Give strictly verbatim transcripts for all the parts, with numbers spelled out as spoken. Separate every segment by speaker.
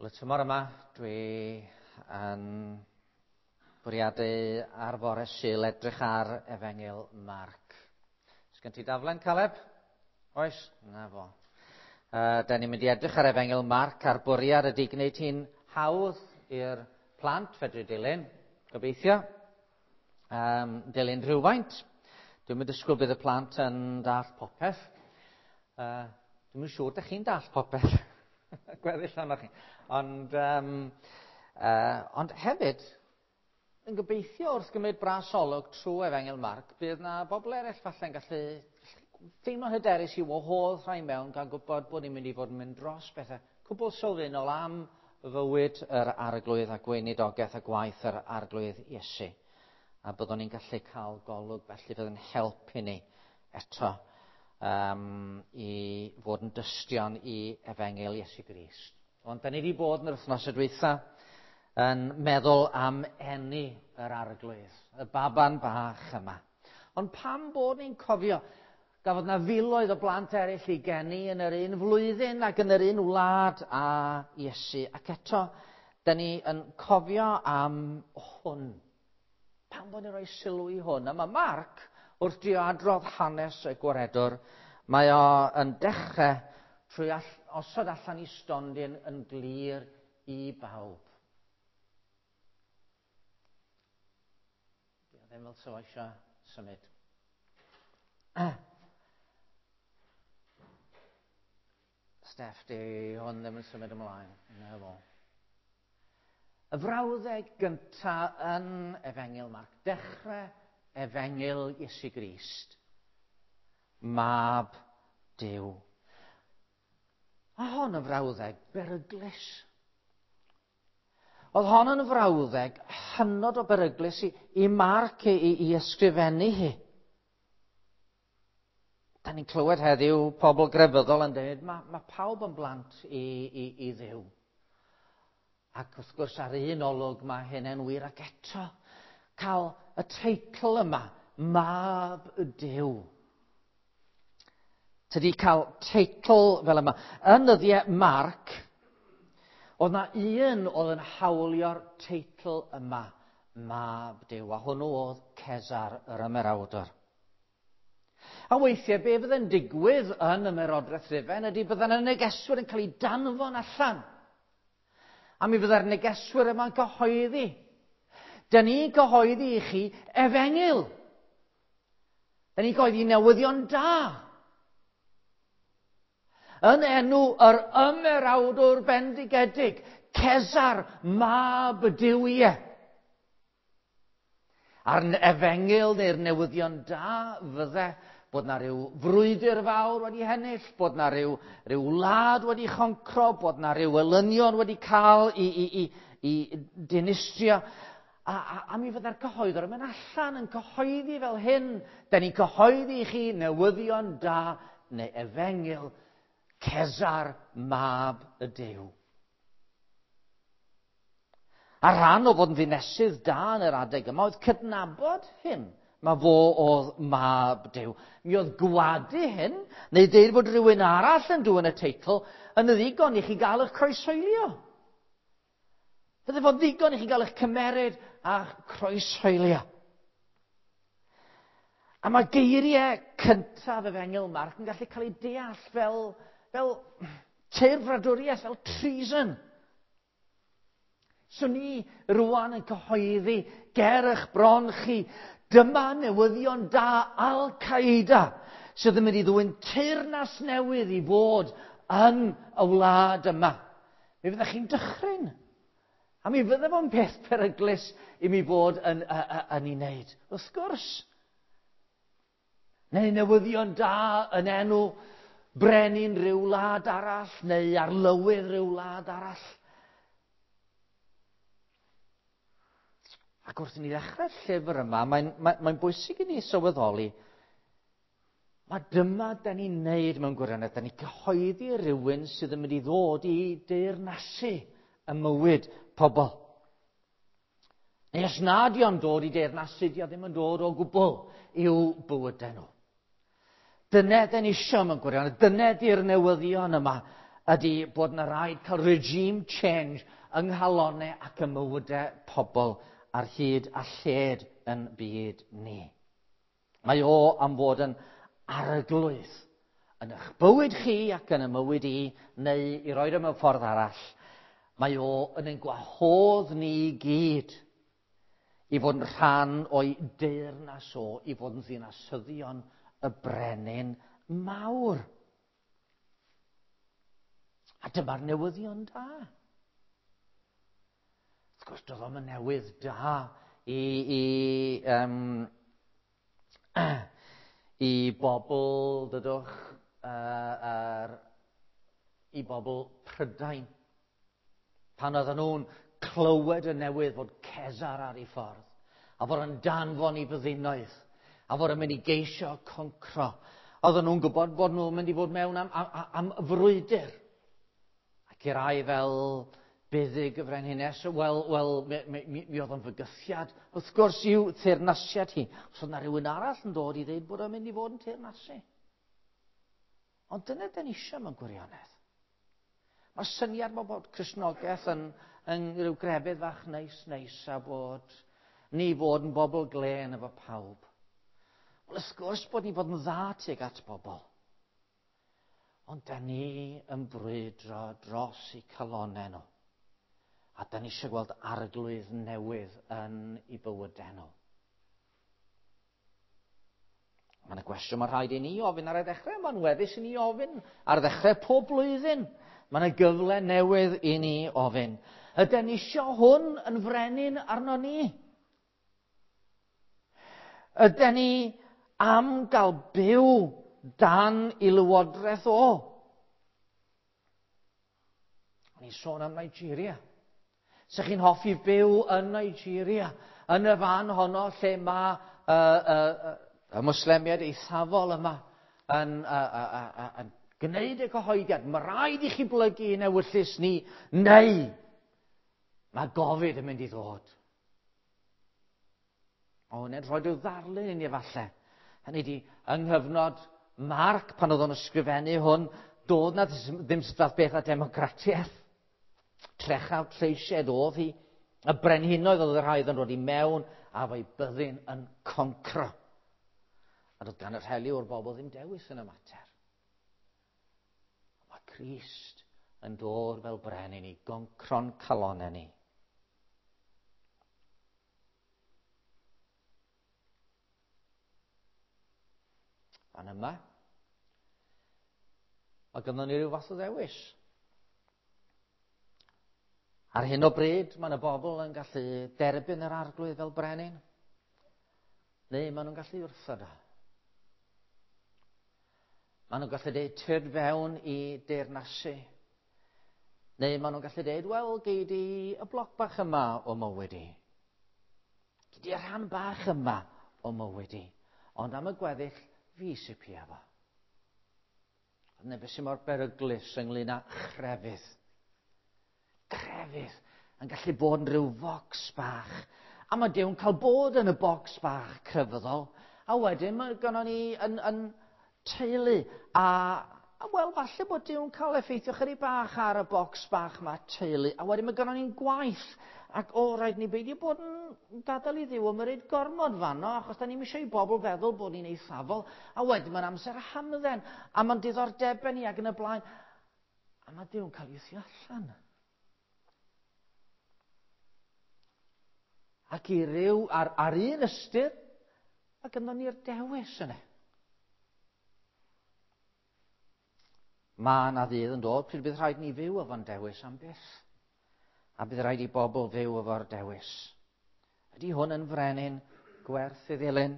Speaker 1: Wel, y tymor yma, dwi yn bwriadu ar fore Sul edrych ar Efengyl Marc. Sgen ti daflen, Caleb? Oes? Na fo. Uh, da ni'n mynd i edrych ar Efengyl Marc a'r bwriad ydy gwneud hi'n hawdd i'r plant fedru dilyn, gobeithio. Um, dilyn rhywfaint. Dwi'n mynd disgwyl bydd y plant yn dallt popeth. Uh, dwi'm yn siŵr dych chi'n dallt popeth. Gweddill ohonoch chi. Ond, um, uh, ond hefyd, yn gobeithio wrth gymryd bras olwg trwy Efengyl Marc, bydd na bobl eraill falle'n gallu teimlo'n hyderus i wahodd rhai mewn gan gwybod bod ni'n mynd i fod yn mynd dros bethau cwbl sylfaenol am fywyd yr Arglwydd a gweinidogaeth a gwaith yr Arglwydd Iesu. A byddwn ni'n gallu cael golwg felly fydd yn help i ni eto um, i fod yn dystion i Efengyl Iesu Grist. Ond da ni wedi bod yn yr wythnos y dwytha yn meddwl am eni yr Arglwydd, y baban bach yma. Ond pam bod ni'n cofio gafodd na filoedd o blant eraill i geni yn yr un flwyddyn ac yn yr un wlad a Iesu. Ac eto, da ni yn cofio am hwn. Pam bod ni'n rhoi sylw i hwn? A mae Marc, wrth drio adrodd hanes y Gwaredwr, mae o yn dechrau trwy all, osod allan i stondin yn glir i bawb. Di o ddim fel sa fo eisiau symud. Steff, di hwn ddim yn symud ymlaen. Na fo. Y frawddeg gyntaf yn Efengyl Marc, dechrau Efengyl Iesu Grist, Mab Duw. A hon yn frawddeg beryglus. Oedd hon yn frawddeg hynod o beryglus i, i Marc i, i, i ysgrifennu hi. Da ni'n clywed heddiw pobl grefyddol yn dweud, mae, mae pawb yn blant i, i, i Dduw. Ac wrth gwrs ar un olwg mae hynny'n wir, ac eto cael y teitl yma, Mab Duw. Tydi cael teitl fel yma. Yn nyddiau Marc, oedd na un oedd yn hawlio'r teitl yma, Mab Duw, a hwnnw oedd Cesar yr Ymerawdwr. A weithiau, be fydde'n digwydd yn Ymerodraeth Rufain ydy bydde'n y negeswyr yn cael eu danfon allan. A mi fydde'r negeswyr yma'n cyhoeddi. Da ni'n cyhoeddi i chi efengyl. Da ni'n cyhoeddi newyddion da. Yn enw yr ymerawdwr bendigedig, Cesar, mab y Duw ie. A'r efengyl neu'r newyddion da fydde bod na ryw frwydr fawr wedi hennill, bod na ryw, ryw wlad wedi choncro, bod na ryw elynion wedi cael i, i, i, i dinistrio. A, a, a mi fydde'r cyhoeddwr yn mynd allan yn cyhoeddi fel hyn. Da ni'n cyhoeddi i chi newyddion da neu efengyl Cesar, mab y Duw. A rhan o fod yn ddinesydd da yn yr adeg yma oedd cydnabod hyn. Mae fo oedd mab Duw. Mi oedd gwadu hyn, neu deud bod rhywun arall yn dwyn y teitl, yn ddigon i chi gael eich croeshoelio. Fydde fo'n ddigon i chi gael eich cymeryd a'ch croeshoelio. A mae geiriau cyntaf Efengyl Marc yn gallu cael eu deall fel, fel teirfradwriaeth, fel treason. So ni rwan yn cyhoeddi ger eich bron chi, dyma newyddion da Al-Qaeda sydd yn mynd i ddwyn teyrnas newydd i fod yn y wlad yma. Mi fyddech chi'n dychryn. A mi fydde fo'n peth peryglus i mi fod yn, yn, yn ei wneud. Wrth gwrs. Neu newyddion da yn enw brenin rhyw wlad arall, neu arlywydd rhyw wlad arall. Ac wrth i ni ddechrau'r llyfr yma, mae'n mae, mae bwysig i ni sylweddoli, mae dyma da ni'n neud mewn gwirionedd, da ni'n cyhoeddi rhywun sydd yn mynd i ddod i deyrnasu y mywyd pobl. Neu os nad yw'n dod i deyrnasu, di o ddim yn dod o gwbl i'w bywydau nhw. Dyna da ni isio mewn gwirionedd, dyna di'r newyddion yma ydy bod yna rhaid cael regime change yng nghalonau ac ym mywydau pobl ar hyd a lled yn byd ni. Mae o am fod yn arglwydd yn eich bywyd chi ac yn y mywyd i, neu i roed o mewn ffordd arall. Mae o yn ein gwahodd ni i gyd i fod yn rhan o'i deyrnas o, i fod yn ddinasyddion y brenin mawr. A dyma'r newyddion da. Wrth gwrs, doedd o'm yn newydd da i, i, um, i bobl, dydwch, uh, er, i bobl Prydain. Pan oedden nhw'n clywed y newydd fod Cesar ar ei ffordd, a fod yn danfon i fyddinoedd, a fod yn mynd i geisio concro. Oedden nhw'n gwybod bod nhw'n mynd i fod mewn am, am, am frwydr. Ac i rai fel Buddug y Frenhines, wel, wel mi, mi, mi, mi oedd o'n fygythiad, wrth gwrs, i'w teyrnasiad hi. Os oedd yna rhywun arall yn dod i ddeud bod o'n mynd i fod yn teyrnasu. Ond dyna dyn ni eisiau mewn gwirionedd. Mae'r syniad mae bod Cristnogaeth yn, yn rhyw grefydd fach neis neis a bod ni fod yn bobl glên efo pawb. Wel, wrth gwrs bod ni fod yn dda tuag at bobl. Ond da ni yn brwydro dros eu calonau nhw. A da ni eisiau gweld arglwydd newydd yn eu bywydau nhw. Mae yna gwestiwn mae rhaid i ni ofyn ar y ddechrau. Mae'n weddus i ni ofyn ar ddechrau pob blwyddyn. Mae yna gyfle newydd i ni ofyn. Ydyn ni eisiau hwn yn frenin arno ni? Ydyn ni am gael byw dan i lywodraeth o? O'n i'n sôn am Nigeria. Sa chi'n hoffi byw yn Nigeria, yn y fan honno lle mae uh, uh, uh, y Mwslemiaid eithafol yma yn, uh, uh, uh, uh, yn gwneud y cyhoeddiad. Mae rhaid i chi blygu i'n ewyllys ni, neu mae gofid yn mynd i ddod. O, hwnna'n rhoi rhyw ddarlun i ni efallai. Hynny ydi, yng nghyfnod Marc, pan oedd o'n ysgrifennu hwn, doedd na ddim fath beth â democratiaeth. Trechaf treisied oedd hi. Y brenhinoedd oedd y rhai oedd yn dod i mewn a fo'i byddin yn concro. A doedd gan y rheliw o'r bobl ddim dewis yn y mater. Mae Crist yn dod fel brenin i goncro'n calonau ni. Fan yma, mae gynnon ni ryw fath o ddewis. Ar hyn o bryd, mae yna bobl yn gallu derbyn yr arglwydd fel brenin, neu maen nhw'n gallu wrthod o. Maen nhw'n gallu dweud tyrd fewn i deyrnasu, neu maen nhw'n gallu dweud, wel, gei di y bloc bach yma o mywyd i. Gei di y rhan bach yma o mywyd i. Ond am y gweddill, fi sy'n pia fo. Dyna beth sy'n mor beryglus ynglyn â chrefydd. Crefydd yn gallu bod yn rhyw focs bach. A mae Duw'n cael bod yn y bocs bach crefyddol. A wedyn mae gynnon ni yn, yn teulu. A, a wel, falle bod Duw'n cael effeithio chydig bach ar y bocs bach mae teulu. A wedyn mae gynnon ni'n gwaith. Ac o, rhaid ni beidio bod yn gadael i Dduw ymyrryd gormod fanno, achos da ni'm eisiau i bobl feddwl bod ni'n eithafol. A wedyn mae'n amser hamdden, a mae'n diddordebau ni ac yn y blaen. A mae Duw'n cael ei wthio allan. Ac i ryw, ar, ar un ystyr, mae gynnon ni'r dewis yna. Mae yna ddydd yn dod pryd bydd rhaid ni fyw efo'n dewis am byth. A bydd rhaid i bobl fyw efo'r dewis. Ydy hwn yn frenin gwerth i ddilyn?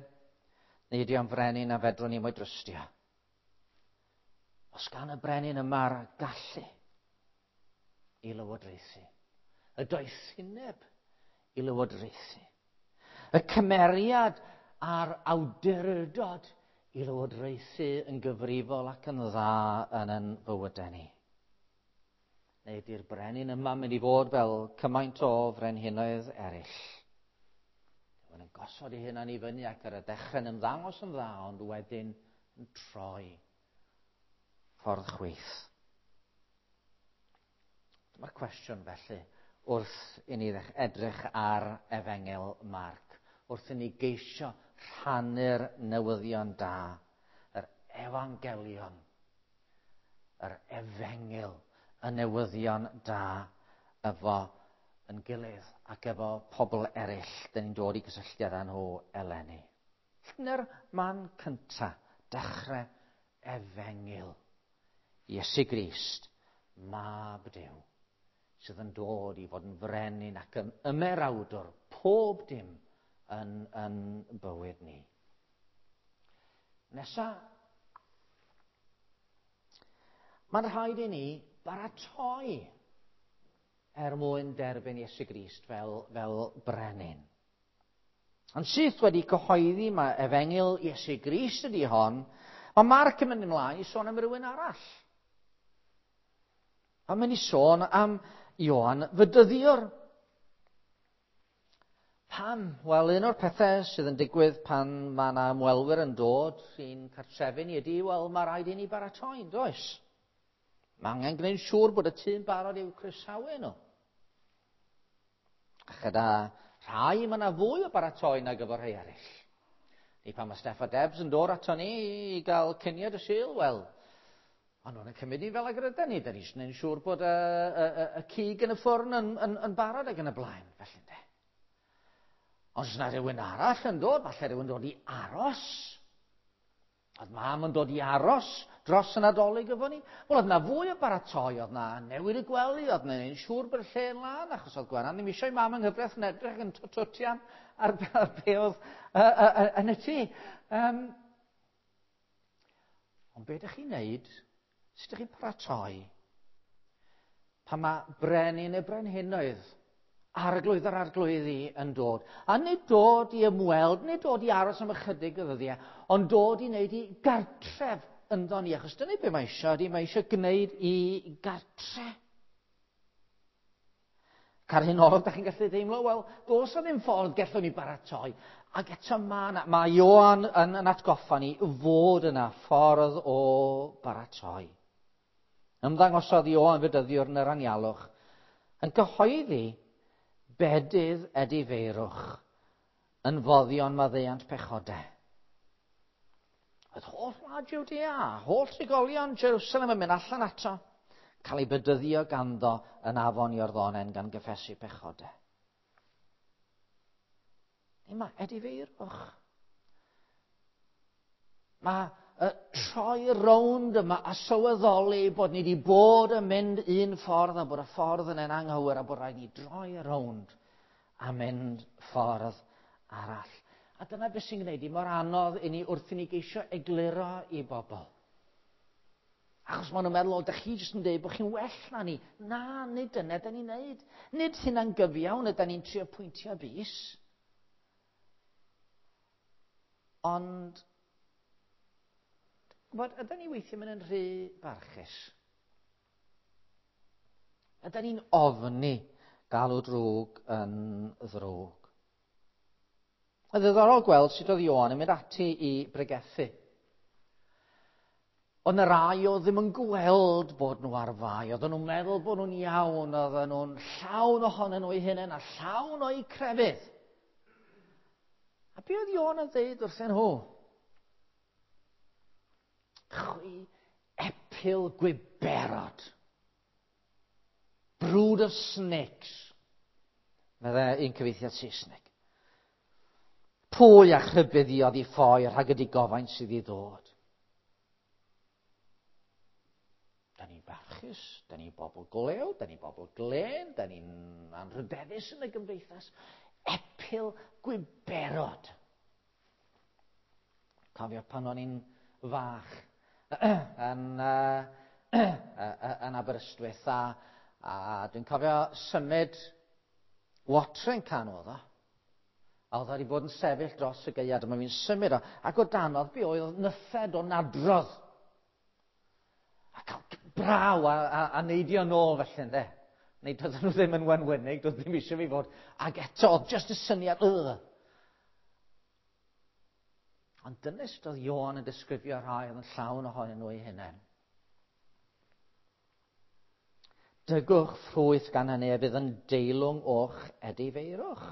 Speaker 1: Neu ydy o'n frenin a fedrwn ni mo'i drystio? Os gan y brenin yma'r gallu i lywodraethu, y doethineb i lywodraethu, y cymeriad a'r awdurdod i lywodraethu yn gyfrifol ac yn dda yn ein bywydau ni. Neu ydy'r brenin yma mynd i fod fel cymaint o frenhinoedd eraill. Mae'n yn gosod ei hunan i fyny ac ar y dechrau yn ymddangos yn dda, ond wedyn yn troi ffordd chwith. Dyma'r cwestiwn felly wrth i ni edrych ar Efengyl Marc, wrth i ni geisio rhannu'r newyddion da, yr efangelion, yr efengyl, y newyddion da efo yn gilydd ac efo pobl eraill dyn ni'n dod i gysylltiad â nhw eleni. Dyna'r man cynta, dechrau efengyl. Iesu Grist, Mab Duw, sydd yn dod i fod yn frenin ac yn ymerawdwr pob dim yn, yn bywyd ni. Nesa, mae'n rhaid i ni baratoi er mwyn derbyn Iesu Grist fel, fel brenin. Yn syth wedi cyhoeddi mae efengyl Iesu Grist ydy hon, mae Marc yn mynd ymlaen i sôn am rywun arall. Mae'n mynd i sôn am Ioan Fedyddiwr. Pam? Wel, un o'r pethau sydd yn digwydd pan mae yna ymwelwyr yn dod i'n cartrefi ni ydy, wel, mae rhaid i ni baratoi, yn does? Mae angen gwneud siŵr bod y tŷ'n barod i'w croesawu nhw. A chyda rhai, mae yna fwy o baratoi nag efo rhai eraill. Ni pan mae Steff a Debs yn dod ato ni i gael cinio y Sul, wel, ond nhw'n cymryd ni fel ag ydyn ni. Da ni eisiau gwneud siŵr bod y, y, y, y cig yn y ffwrn yn, yn, yn barod ac yn y blaen. Felly, de. Ond os yna rhywun arall yn dod, falle rhywun dod i aros. Oedd mam yn dod i aros dros y Nadolig efo ni. Wel, oedd na fwy o baratoi, oedd na newid y gwely, oedd na wneud siŵr bod y lle yn lân, achos oedd Gwenan ddim eisiau mam yng nghyfraith yn edrych yn twtian ar, ar be oedd uh, uh, uh, yn y tŷ. Um, ond be ydych chi'n neud? Sut ydych chi'n paratoi? Pan mae brenin y brenhinoedd, arglwydd yr arglwyddi yn dod. A nid dod i ymweld, nid dod i aros am ychydig o ddyddiau, ond dod i wneud i gartref ynddo ni. Achos dyna be mae eisiau, ydy mae eisiau gwneud i gartre. Ac ar hyn olwg, da chi'n gallu deimlo, wel, does na ddim ffordd gallwn ni baratoi. Ac eto mae, mae Ioan yn, yn atgoffa ni fod yna ffordd o baratoi. Ymddangosodd Ioan Fedyddiwr yn yr anialwch yn cyhoeddi bedydd edifeirwch yn foddion maddeuant pechodau. Oedd holl wlad Jwdea, holl trigolion Jerusalem yn mynd allan ato, cael ei bedyddio ganddo yn afon Iorddonen gan gyffesu pechodau. Neu mae edifeirwch. Mae y troi rownd yma a sylweddoli bod ni wedi bod yn mynd un ffordd a bod y ffordd yn en anghywir a bod rhaid ni droi rownd a mynd ffordd arall. A dyna beth sy'n gwneud i mor anodd i ni wrth i ni geisio egluro i bobl. Achos maen nhw'n meddwl, o, dych chi jyst yn dweud bod chi'n well na ni. Na, nid dyna da ni'n neud. Nid hynna'n gyfiawn yda ni'n trio pwyntio bys. Ond, gwybod, ydy ni weithio mynd yn rhy barchus? Ydy ni'n ofni galw drwg yn ddrwg? Mae'n ddiddorol gweld sut oedd Ioan yn mynd ati i bregethu. Oedd yna rai oedd ddim yn gweld bod nhw ar fai, oedden nhw'n meddwl bod nhw'n iawn, oedden nhw'n llawn ohonyn nhw eu hunain a llawn o'u crefydd. A be oedd Ioan yn dweud wrthyn nhw? Chwi epil gwiberod. Brood of snakes. Meddai un cyfieithiad Saesneg. Pwy a chrybuddiodd i ffoi rhag y digofaint sydd i ddod? Da ni'n barchus, da ni'n bobl golew, da ni'n bobl glên, da ni'n anrhydeddus yn y gymdeithas. Epil gwiberod. Cofio pan o'n i'n fach yn, uh, yn Aberystwyth a, a dwi'n cofio symud watering can oedd o. A oedd wedi bod yn sefyll dros y gaeaf, dyma fi'n symud o. Ac o danodd be oedd nythed o nadrodd. A cael braw a, a, a neidio nôl felly, ynde. Neu doedden nhw ddim yn wenwynig, doedd ddim eisiau fi fod. Ac eto, oedd just y syniad, ugh. Ond dyna sut oedd Ioan yn disgrifio rhai oedd yn llawn ohonyn nhw eu hunain. Dygwch ffrwyth gan hynny a bydd yn deilwng o'ch edifeirwch.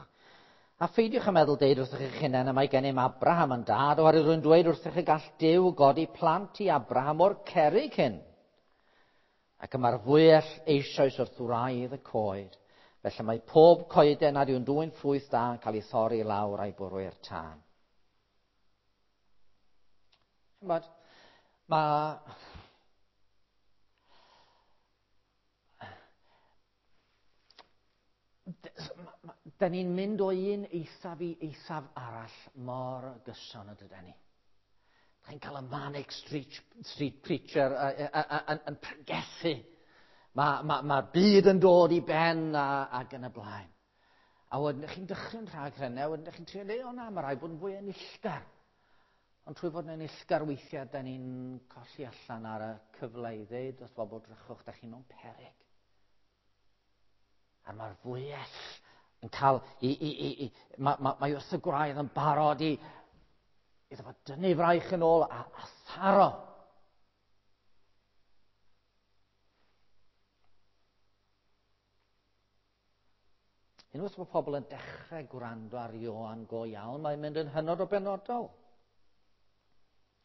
Speaker 1: A pheidiwch yn meddwl deud wrthych eich hunain y mae gennym Abraham yn dad, oherwydd rwy'n dweud wrthych y gall Duw godi plant i Abraham o'r cerrig hyn. Ac y mae'r fwyell eisoes wrth wraidd y coed. Felly mae pob coeden nad yw'n dwyn ffrwyth da yn cael ei thorri i lawr a'i bwrw i'r tân. Ch'mod, mae... Da ni'n mynd o un eithaf i eithaf arall mor gyson y dydyn ni. Da chi'n cael y Manic Street, Street Preacher yn, yn pregethu. Mae'r ma, ma byd yn dod i ben a, ac yn y blaen. A wedyn chi'n dychryn rhag hynny, a wedyn chi'n trio dweud, o na, mae rhaid bod yn fwy enillgar. Ond trwy fod yn enillgar weithiau, da ni'n colli allan ar y cyfle i ddeud wrth bobl drychwch, da chi mewn peryg. A mae'r fwyell yn cael, i, i, i, i, mae, mae, mae wrth y gwraidd yn barod i, iddo fo dynnu fraich yn ôl a, a tharo. Unwaith mae pobl yn dechrau gwrando ar Ioan go iawn, mae'n mynd yn hynod o benodol.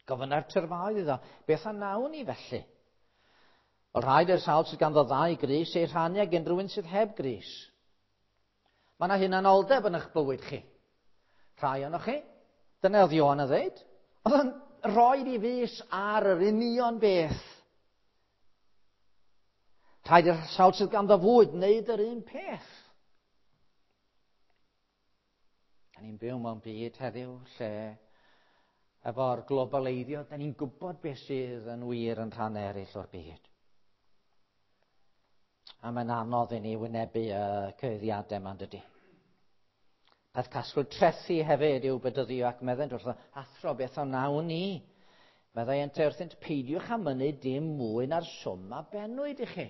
Speaker 1: Gofynna'r tyrfaoedd iddo, beth a nawn ni felly? Wel, rhaid i'r sawl sydd ganddo ddau grys ei rhannu ag unrhyw un sydd heb grys. Mae yna hunanoldeb yn eich bywyd chi. Rhai ohonoch chi. Dyna oedd Ioan yn dweud. Oedd yn rhoi i fys ar yr union beth. Rhaid i'r sawl sydd ganddo fwyd wneud yr un peth. Da ni'n byw mewn byd heddiw lle efo'r globaleiddio, da ni'n gwybod beth sydd yn wir yn rhan eraill o'r byd. A mae'n anodd i ni wynebu y cyhuddiadau yma, dydy. Daeth casglu trethi hefyd i'w bedyddio ac meddent wrtho, athro, beth a wnawn ni? Meddai ynte wrthynt, peidiwch â mynnu dim mwy na'r swm a bennwyd i chi.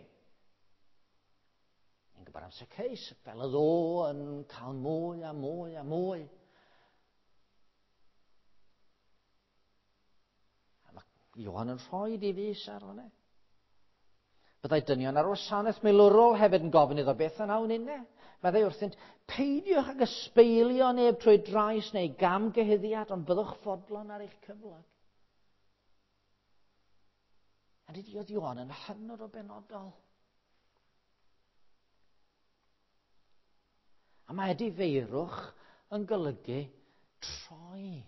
Speaker 1: Ni'n gwybod am Zacchaeus, fel oedd o yn cael mwy a mwy a mwy. A mae Ioan yn rhoi i fys ar hwnna. Byddai dynion ar wasanaeth milwrol hefyd yn gofyn iddo beth a wnawn inne. Meddai wrthynt, peidiwch ag ysbeilio neb trwy drais neu gamgyhuddiad, ond byddwch fodlon ar eich cyflog. A dydy oedd Ioan yn hynod o benodol. A mae edifeirwch yn golygu troi.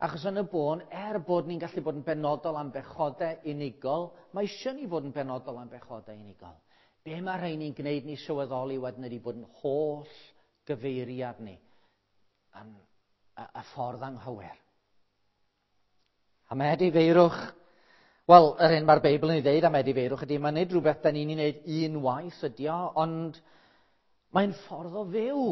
Speaker 1: Achos yn y bôn, er bod ni'n gallu bod yn benodol am bechodau unigol, mae eisiau ni fod yn benodol am bechodau unigol. Be mae rhain ni'n gwneud ni sylweddoli wedyn ydy bod yn holl gyfeiriad ni yn y, y ffordd anghywir. A mae edifeirwch, wel, yr hyn mae'r Beibl yn ei ddeud am edifeirwch ydy, mae'n nid rhywbeth da ni'n ei wneud un waith ydy o, ond mae'n ffordd o fyw.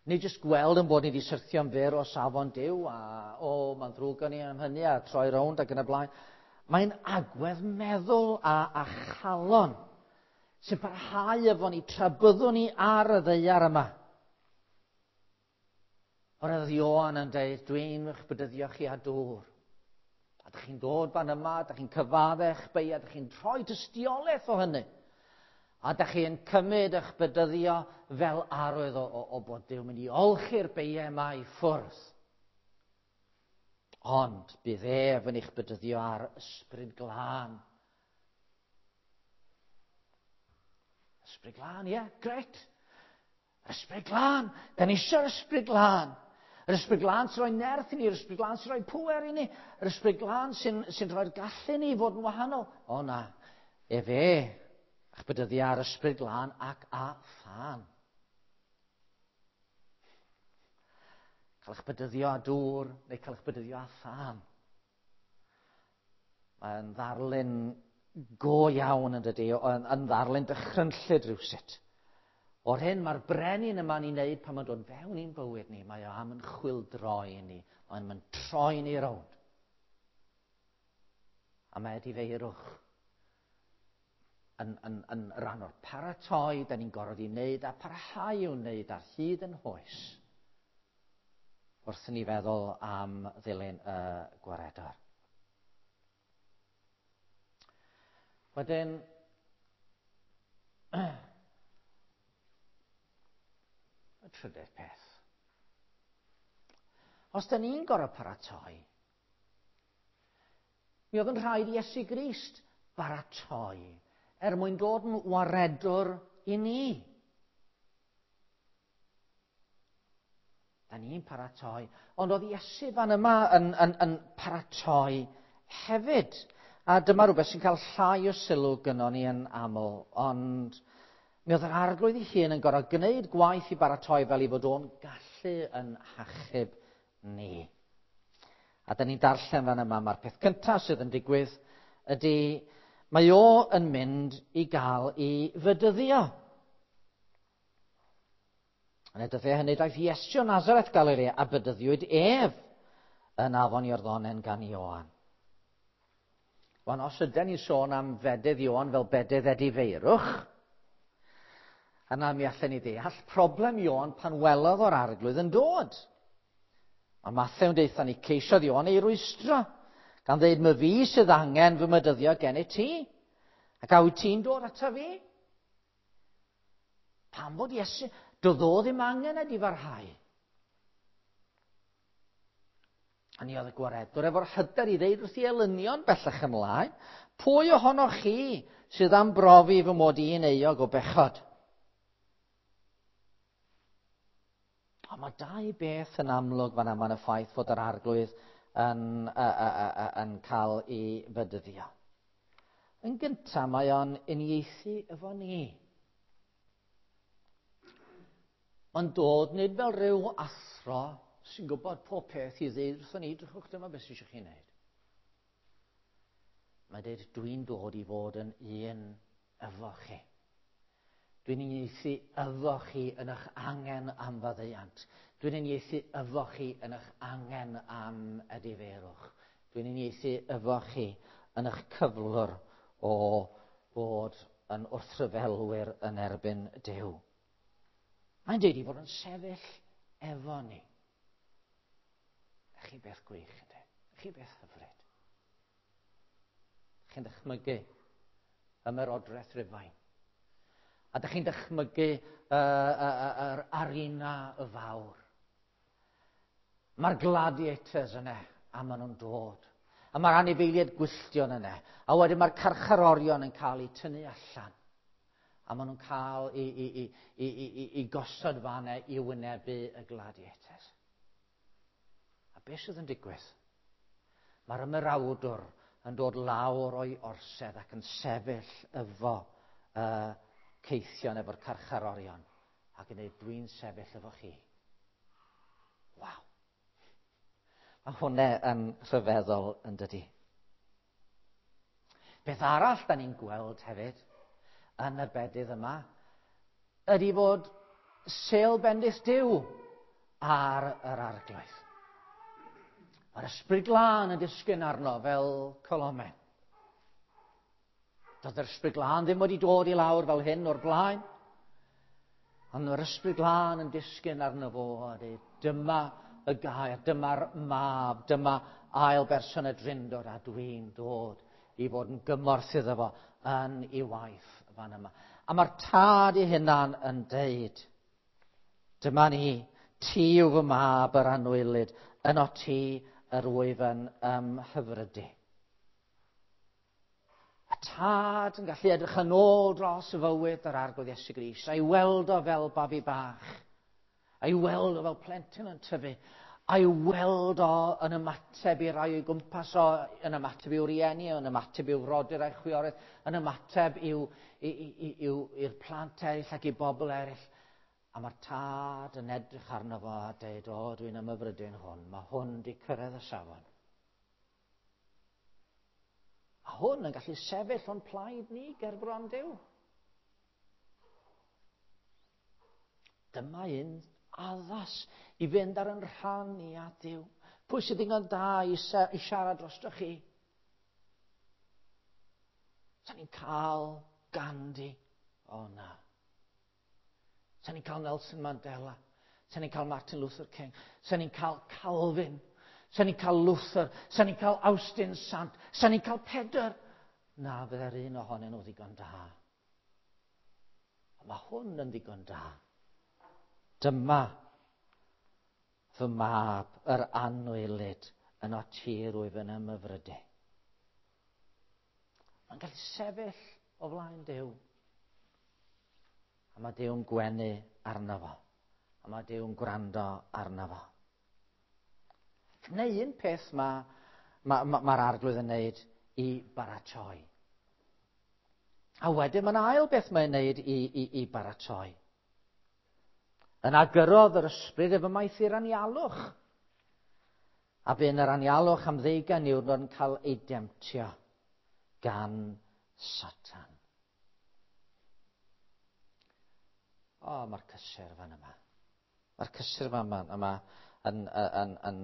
Speaker 1: Nid jyst gweld yn bod ni wedi syrthio'n fyr o safon Duw a o, mae'n ddrwg gan ni am hynny a troi rownd ac yn y blaen. Mae'n agwedd meddwl a, a chalon sy'n parhau efo ni tra byddwn ni ar y ddaear yma. Oherwydd Ioan yn dweud, dwi'n eich bedyddio chi â dŵr. A dych chi'n dod fan yma, dych chi'n cyfaddech beia, dych chi'n rhoi tystiolaeth o hynny. A dych chi'n cymryd eich bedyddio fel arwydd o, o, o bod Duw mynd i olchi'r beiau yma i ffwrdd. Ond bydd ef yn eich bedyddio ar ysbryd glân. Ysbryd glân, ie, yeah, gret. Ysbryd glân, da ni eisiau'r ysbryd glân. Yr ysbryd glân sy'n rhoi nerth i ni, yr ysbryd glân sy'n rhoi pŵer i ni, yr ysbryd glân sy'n, sy'n rhoi'r gallu i ni i fod yn wahanol. O na, efe, a'ch bedyddio ar ysbryd glân ac a thân. Cael eich bedyddio â dŵr neu cael eich bedyddio â thân. Mae'n ddarlun go iawn yn dydy, yn, yn ddarlun dychrynllyd rhywsut. O'r hyn mae'r brenin yma'n ei wneud pan mae'n dod fewn i'n bywyd ni, mae o am yn chwyldroi ni, mae'n mynd troi ni rownd. A mae edifeirwch yn, yn, yn rhan o'r paratoi, da ni'n gorfod i wneud a parhau i'w wneud ar hyd yn hoes. Wrth i ni feddwl am ddilyn y gwaredwr. Wedyn, y trydydd peth. Os da ni'n gorfod paratoi, mi oedd yn rhaid i Iesu Grist baratoi er mwyn dod yn waredwr i ni. Da ni'n paratoi, ond oedd Iesu fan yma yn, yn, yn paratoi hefyd. A dyma rhywbeth sy'n cael llai o sylw gynnon ni yn aml, ond mi oedd yr Arglwydd ei hun yn gorfod gwneud gwaith i baratoi fel ei fod o'n gallu yn hachub ni. A da ni'n darllen fan yma, mae'r peth cyntaf sydd yn digwydd ydy mae o yn mynd i gael ei fedyddio. Yn y dyddiau hynny daeth Iesu o Nazareth Galilea a bedyddiwyd ef yn afon Iorddonen gan Ioan. Wan, os ydyn ni'n sôn am fedydd Ioan fel bedydd edifeirwch, yna mi allan ni ddeall problem Ioan pan welodd o'r Arglwydd yn dod. Mae Mathew yn deutha ni ceisiodd Ioan ei rwystro, gan ddeud, "My fi sydd angen fy mydyddio gen i ti, ac a wyt ti'n dod ata fi?" Pam fod Iesu, doedd o ddim angen edifarhau. A ni oedd y gwaredwr efo'r hyder i ddeud wrth ei elynion bellach ymlaen, pwy ohonoch chi sydd am brofi fy mod i'n euog o bechod? Ond mae dau beth yn amlwg fan yma yn y ffaith fod yr Arglwydd yn, uh, uh, uh, yn cael ei fedyddio. Yn gyntaf, mae o'n uniaethu efo ni. Mae'n dod nid fel rhyw athro sy'n gwybod pob peth i ddeud wrthon ni, drychwch, dyma beth sydd eisiau chi wneud. Mae'n dweud, dwi'n dod i fod yn un efo chi. Dwi'n uniaethu efo chi yn eich angen am faddeuant. Dwi'n uniaethu efo chi yn eich angen am edifeirwch. Dwi'n uniaethu efo chi yn eich cyflwr o fod yn wrthryfelwyr yn erbyn Duw. Mae'n dweud i fod yn sefyll efo ni. Chi beth gwych, ynddi? Chi beth hyfryd. Chi'n dychmygu ymerodraeth Rufain. A dych chi'n dychmygu uh, uh, uh, yr arena y fawr. Mae'r gladiators yna, a maen nhw'n dod. A mae'r anifeiliaid gwylltion yna. A wedyn mae'r carcharorion yn cael eu tynnu allan. A maen nhw'n cael i, i, i, i, i, i gosod fanna i wynebu y gladiators. A beth sydd yn digwydd? Mae'r ymerawdwr yn dod lawr o'i orsedd ac yn sefyll efo uh, ceithion efo'r carcharorion ac yn dweud, dwi'n sefyll efo chi. Waw. Mae hwnna yn rhyfeddol yn dydi. Beth arall da ni'n gweld hefyd yn y bedydd yma ydy fod sêl bendith Duw ar yr Arglwydd. Mae'r Ysbryd Glân yn disgyn arno fel colomen. Doedd yr Ysbryd Glân ddim wedi dod i lawr fel hyn o'r blaen. Ond mae'r Ysbryd Glân yn disgyn arno fo a dweud, dyma y gair, dyma'r mab, dyma ail berson y Drindod a dwi'n dod i fod yn gymorth iddo fo yn ei waith fan yma. A mae'r tad ei hunan yn deud, dyma ni, ti yw fy mab yr anwylyd, yno ti yr wyf yn ymhyfrydu. Y tad yn gallu edrych yn ôl dros y fywyd yr Arglwydd Iesu Grist, a'i weld o fel babi bach, a'i weld o fel plentyn yn tyfu, a'i weld o yn ymateb i rai o'i gwmpas o, yn ymateb i'w rieni, yn ymateb i'w frodyr a'i chwiorydd, yn ymateb i'w, i'r plant eraill ac i bobl eraill. A mae'r tad yn edrych arno fo a dweud, o, dwi'n ymhyfrydu'n hwn, mae hwn di cyrraedd y safon. A hwn yn gallu sefyll o'n plaid ni ger bron Duw. Dyma un addas i fynd ar yn rhan i a Duw. Pwy sydd ddigon da i, i siarad drostoch chi? Sa ni'n cael Gandhi? O na. Sa ni'n cael Nelson Mandela. Sa ni'n cael Martin Luther King. Sa ni'n cael Calvin. Sa ni'n cael Luther. Sa ni'n cael Awstin Sant. Sa ni'n cael Pedr. Na, fydde'r un ohonyn nhw ddigon da. Ond mae hwn yn ddigon da. Dyma fy mab, yr anwylyd, yno ti rwyf yn ymhyfrydu. Mae'n gallu sefyll o flaen Duw. A mae Duw'n gwenu arno fo. A mae Duw'n gwrando arno fo. Neu un peth mae'r ma, ma, ma Arglwydd yn neud i baratoi. A wedyn mae'n ail beth mae'n neud i, i, i baratoi. Yna gyrrodd yr ysbryd ef ymaith i'r anialwch. A bu'n yr anialwch am ddeugain niwrnod yn cael ei demtio gan Satan. O, mae'r cysur fan yma. Mae'r cysur fan yma yn, yn, yn,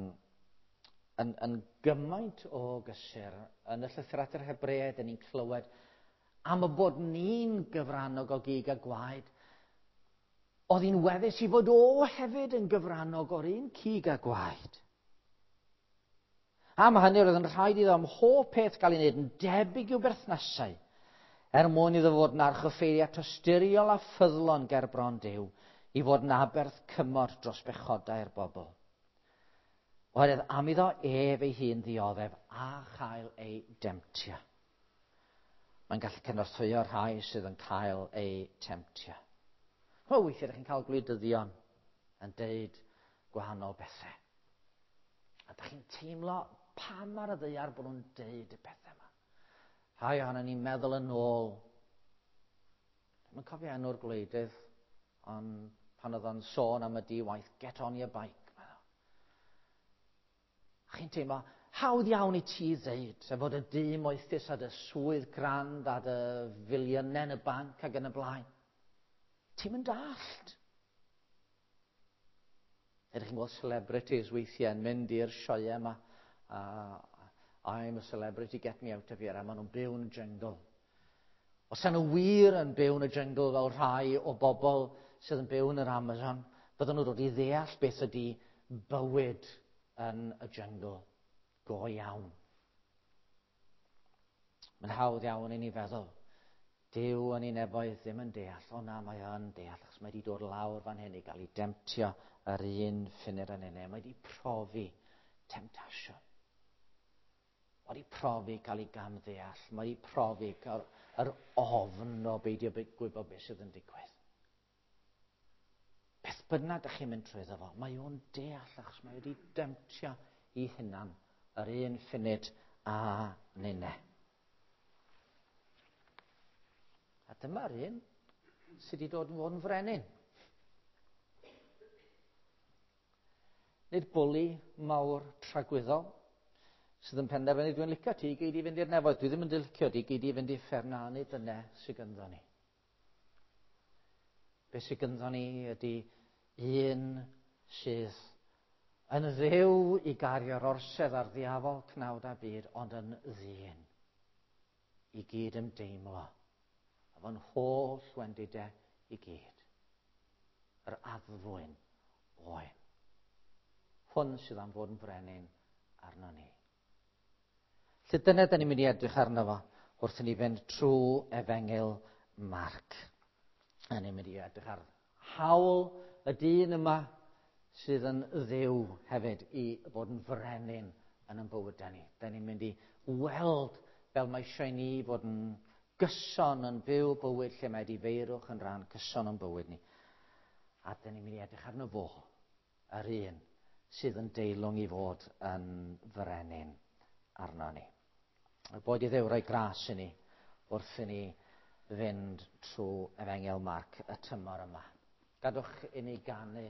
Speaker 1: yn, yn gymaint o gysur. Yn y llythyr at yr Hebreaid, ni'n clywed am y bod ni'n gyfrannog o gig a gwaed. Oedd hi'n weddus i fod o hefyd yn gyfrannog o'r un cig a gwaed. Am hynny, roedd yn rhaid iddo am hob peth gael ei wneud yn debyg i'w berthnasau, er mwyn iddo fod yn archoffeiriad tosturiol a ffyddlon ger bron Duw, i fod yn aberth cymorth dros bechodau'r bobl. Oherwydd am iddo ef ei hun ddioddef a chael ei demtio. Mae'n gallu cynorthwyo rhai sydd yn cael eu temtio. O, weithiau ydych chi'n cael gwleidyddion yn deud gwahanol bethau. A ydych chi'n teimlo pam ar y ddaear bod nhw'n deud y pethau yma. Rhai ohonon ni'n meddwl yn ôl. Dwi'n cofio enw'r gwleidydd, ond pan oedd o'n sôn am y di-waith, get on your bike. Meddwl. A chi'n teimlo, hawdd iawn i ti ddeud, sef fod y dŷ moethus a dy swydd grand a dy filiynau yn y banc ac yn y blaen. Ti'n mynd dallt. Ydych chi'n gweld celebrities weithiau yn mynd i'r sioeau yma. Uh, I'm a celebrity, get me out of here. A maen nhw'n byw yn y jungle. Os ydyn nhw wir yn byw yn y jungle fel rhai o bobl sydd yn byw yn yr Amazon, bydden nhw'n dod i ddeall beth ydy bywyd yn y jungle. Go iawn. Mae'n hawdd iawn i ni feddwl. Duw yn ei nefoedd ddim yn deall. O na, mae o'n deall, achos mae wedi dod lawr fan hyn i gael ei demtio yr un ffunud yn unig. Mae wedi profi temtasiwn. Mae wedi profi cael ei gamddeall. Mae wedi profi cael yr ofn o beidio gwybod beth sydd yn digwydd. Beth bynnag ydych chi'n mynd trwyddo fo, mae o'n deall achos mae wedi demtio i hunan yr un ffunud a ninne. A dyma'r un sydd wedi dod yn fod yn frenin. Nid bwli mawr tragwyddol sydd yn penderfynu dwi'n licio ti, gei di fynd i'r nefoedd. Dwi ddim yn licio ti, gei di fynd i'r uffern. Na, nid dyna sydd ganddo ni. Be sydd ganddo ni ydy un sydd yn ddew i gario'r orsedd ar ddiafol cnawd a byd, ond yn ddyn i gyd ymdeimlo. Efo'n holl wendidau i gyd. Yr addfwyn oen. Hwn sydd am fod yn frenin arno ni. Lle dyna da ni'n mynd i edrych arno fo wrth i ni fynd trwy Efengyl Marc. A ni'n mynd i edrych ar hawl y dyn yma sydd yn ddew hefyd i fod yn frenin yn ein bywydau ni. Da ni'n mynd i weld fel mae eisiau ni fod yn gyson yn byw bywyd lle mae edifeirwch yn rhan cyson o'n bywyd ni. A da ni'n mynd i edrych arno fo, yr un sydd yn deilwng i fod yn frenin arno ni. A boed i Dduw roi gras i ni wrth i ni fynd trwy Efengyl Marc y tymor yma. Gadwch i ni ganu